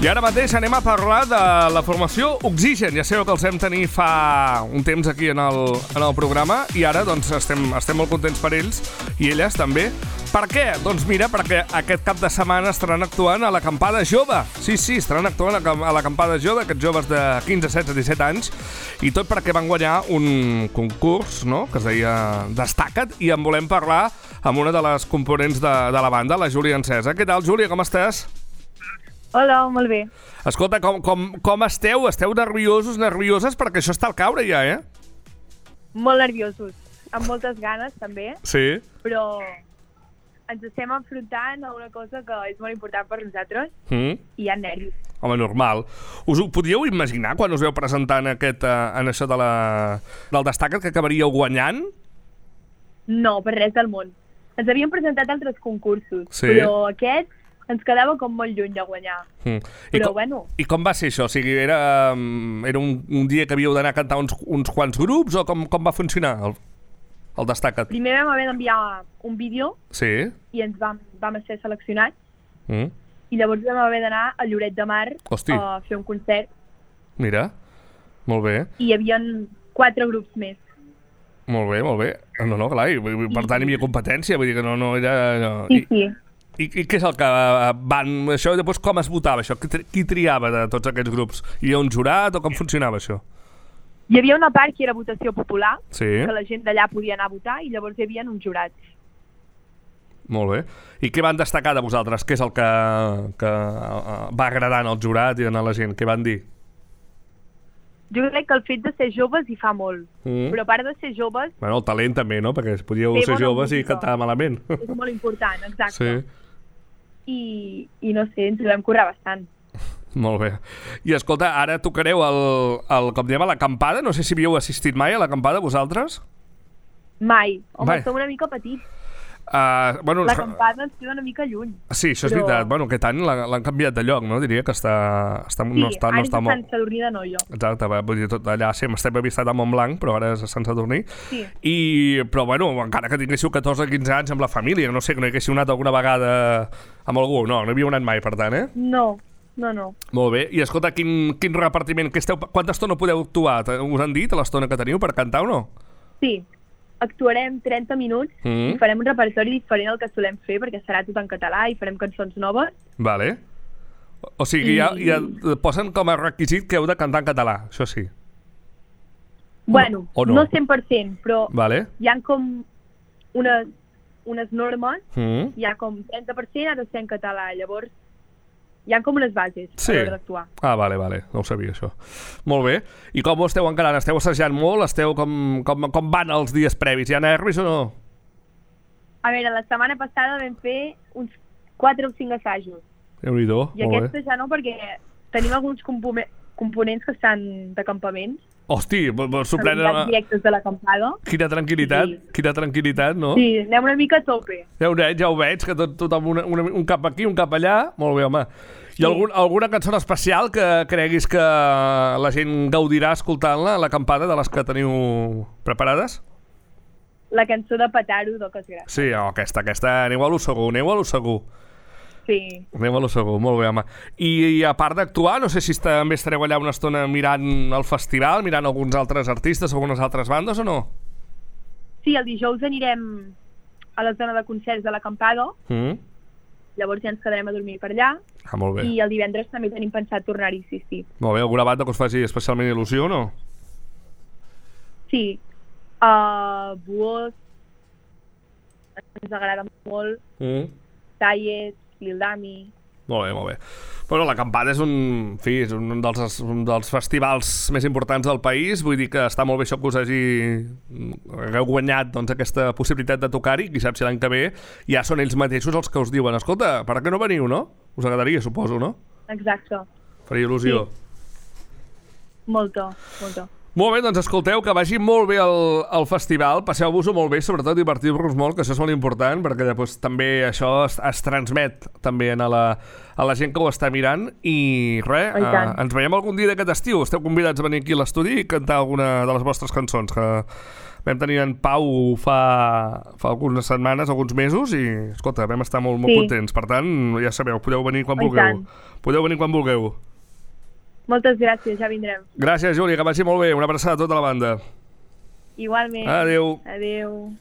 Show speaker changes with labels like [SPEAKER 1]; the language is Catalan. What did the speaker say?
[SPEAKER 1] I ara mateix anem a parlar de la formació Oxigen. Ja sabeu que els vam tenir fa un temps aquí en el programa i ara doncs, estem molt contents per ells i elles també. Per què? Doncs mira, perquè aquest cap de setmana estaran actuant a l'Acampada Jove. Sí, estaran actuant a l'Acampada Jove, aquests joves de 15, 16, 17 anys, i tot perquè van guanyar un concurs, no?, que es deia Destaca't, i en volem parlar amb una de les components de la banda, la Júlia Encesa. Què tal, Júlia, com estàs?
[SPEAKER 2] Hola, molt bé.
[SPEAKER 1] Escolta, com esteu? Esteu nerviosos, nervioses? Perquè això està al caure ja, eh?
[SPEAKER 2] Molt nerviosos, amb moltes ganes també,
[SPEAKER 1] Sí.
[SPEAKER 2] però ens estem enfrontant a una cosa que és molt important per nosaltres i hi ha nervis.
[SPEAKER 1] Home, normal. Us ho podíeu imaginar quan us veu presentant en això del Destaca't que acabaríeu guanyant?
[SPEAKER 2] No, per res del món. Ens havíem presentat altres concursos,
[SPEAKER 1] Sí.
[SPEAKER 2] però aquest ens quedava com molt lluny de guanyar. Però bueno.
[SPEAKER 1] I com va ser això? O sigui, era un dia que havíeu d'anar a cantar uns quants grups o com va funcionar el Destaca't?
[SPEAKER 2] Primer vam haver d'enviar un vídeo
[SPEAKER 1] Sí.
[SPEAKER 2] i ens vam ser seleccionats
[SPEAKER 1] I
[SPEAKER 2] llavors vam haver d'anar a Lloret de Mar a fer un concert.
[SPEAKER 1] Mira, molt bé.
[SPEAKER 2] I hi havia 4 grups més.
[SPEAKER 1] Molt bé, molt bé. No, clar, per tant hi havia competència, vull dir que no era... No.
[SPEAKER 2] Sí.
[SPEAKER 1] I què és el que van... Això, i després com es votava això? Qui triava de tots aquests grups? Hi havia un jurat o com funcionava això?
[SPEAKER 2] Hi havia una part que era votació popular,
[SPEAKER 1] Sí.
[SPEAKER 2] que la gent d'allà podia anar a votar, i llavors hi havia uns jurats.
[SPEAKER 1] Molt bé. I què van destacar de vosaltres? Què és el que va agradant al jurat i a la gent? Què van dir?
[SPEAKER 2] Jo crec que el fet de ser joves hi fa molt, però a part de ser joves...
[SPEAKER 1] Bueno, el talent també, no? Perquè podíeu
[SPEAKER 2] fer
[SPEAKER 1] ser
[SPEAKER 2] bona
[SPEAKER 1] joves i
[SPEAKER 2] música.
[SPEAKER 1] cantar malament.
[SPEAKER 2] És molt important, exacte.
[SPEAKER 1] Sí.
[SPEAKER 2] I no sé, ens ho vam currar bastant.
[SPEAKER 1] Molt bé. I escolta, ara tocareu com diem, a l'acampada. No sé si havíeu assistit mai a l'acampada, vosaltres?
[SPEAKER 2] Mai. Home,
[SPEAKER 1] Mai.
[SPEAKER 2] som una mica petits.
[SPEAKER 1] Bueno,
[SPEAKER 2] L'acampada ens queda una mica lluny.
[SPEAKER 1] sí, això és veritat. Bueno, aquest any l'han canviat de lloc, no? Diria que
[SPEAKER 2] Sí,
[SPEAKER 1] no està
[SPEAKER 2] ara és a
[SPEAKER 1] molt...
[SPEAKER 2] Sant Sadurní d'Anoia.
[SPEAKER 1] Exacte, vull dir, tot allà sempre estem avistat a Montblanc, però ara és a Sant Sadurní.
[SPEAKER 2] Sí.
[SPEAKER 1] Però bueno, encara que tinguéssiu 14 o 15 anys amb la família, no sé, que no hi haguéssiu anat alguna vegada amb algú, no hi havíeu anat mai, per tant, eh?
[SPEAKER 2] No.
[SPEAKER 1] Molt bé. I escolta, quin repartiment, quanta estona podeu actuar? Us han dit l'estona que teniu per cantar o no?
[SPEAKER 2] Sí. Actuarem 30 minuts i farem un repertori diferent al que solem fer, perquè serà tot en català i farem cançons noves.
[SPEAKER 1] Vale. O sigui, ja posen com a requisit que heu de cantar en català, això sí.
[SPEAKER 2] Bueno,
[SPEAKER 1] o no?
[SPEAKER 2] No 100%, però
[SPEAKER 1] Vale.
[SPEAKER 2] hi ha com unes normes, hi ha com 30% ha de ser en català, llavors hi ha com unes bases a l'hora d'actuar.
[SPEAKER 1] Ah, vale, no ho sabia, això. Molt bé. I com ho esteu encarant? Esteu assajant molt? Com van els dies previs? Hi ha nervis o no?
[SPEAKER 2] A veure, la setmana passada vam fer uns 4 o 5 assajos.
[SPEAKER 1] Déu-n'hi-do,
[SPEAKER 2] I aquesta ja no, perquè tenim alguns components que estan de campaments.
[SPEAKER 1] Hosti, sorprèn...
[SPEAKER 2] directes de l'acampada.
[SPEAKER 1] Quina tranquil·litat, no?
[SPEAKER 2] Sí, anem una mica a tope.
[SPEAKER 1] Ja ho veig, que tothom un cap aquí, un cap allà. Molt bé, home. I alguna cançó especial que creguis que la gent gaudirà escoltant-la a l'acampada, de les que teniu preparades?
[SPEAKER 2] La cançó de Petaro, d'Oques Grasses.
[SPEAKER 1] Sí, aquesta, aneu a lo segur.
[SPEAKER 2] Sí.
[SPEAKER 1] Anem a lo segur, molt bé, home. I a part d'actuar, no sé si també estareu allà una estona mirant el festival, mirant alguns altres artistes, algunes altres bandes o no?
[SPEAKER 2] Sí, el dijous anirem a la zona de concerts de l'acampada, llavors ja ens quedarem a dormir per allà.
[SPEAKER 1] Ah, molt bé.
[SPEAKER 2] I el divendres també tenim pensat tornar-hi, sí.
[SPEAKER 1] Molt bé, alguna banda que us faci especialment il·lusió o no?
[SPEAKER 2] Sí. Buos, ens agrada molt, Tallet, Lildami...
[SPEAKER 1] Molt bé. Bueno, l'acampada és un dels festivals més importants del país, vull dir que està molt bé això que us hagueu guanyat aquesta possibilitat de tocar-hi, qui sap si l'any que ve ja són ells mateixos els que us diuen escolta, per què no veniu, no? Us agradaria, suposo, no?
[SPEAKER 2] Exacte.
[SPEAKER 1] Faria il·lusió.
[SPEAKER 2] Sí. Molta.
[SPEAKER 1] Molt bé, doncs escolteu, que vagi molt bé el festival, passeu-vos-ho molt bé, sobretot divertir-vos molt, que això és molt important, perquè després també això es transmet també a la gent que ho està mirant, i res, ens veiem algun dia d'aquest estiu, esteu convidats a venir aquí a l'estudi i cantar alguna de les vostres cançons, que Vam tenir en Pau fa algunes setmanes, alguns mesos, i, escolta, vam estar molt contents. Per tant, ja sabeu, podeu venir quan vulgueu. Podeu venir quan vulgueu.
[SPEAKER 2] Moltes gràcies, ja vindrem.
[SPEAKER 1] Gràcies, Júlia, que vagi molt bé. Una abraçada a tota la banda.
[SPEAKER 2] Igualment.
[SPEAKER 1] Adéu.
[SPEAKER 2] Adéu.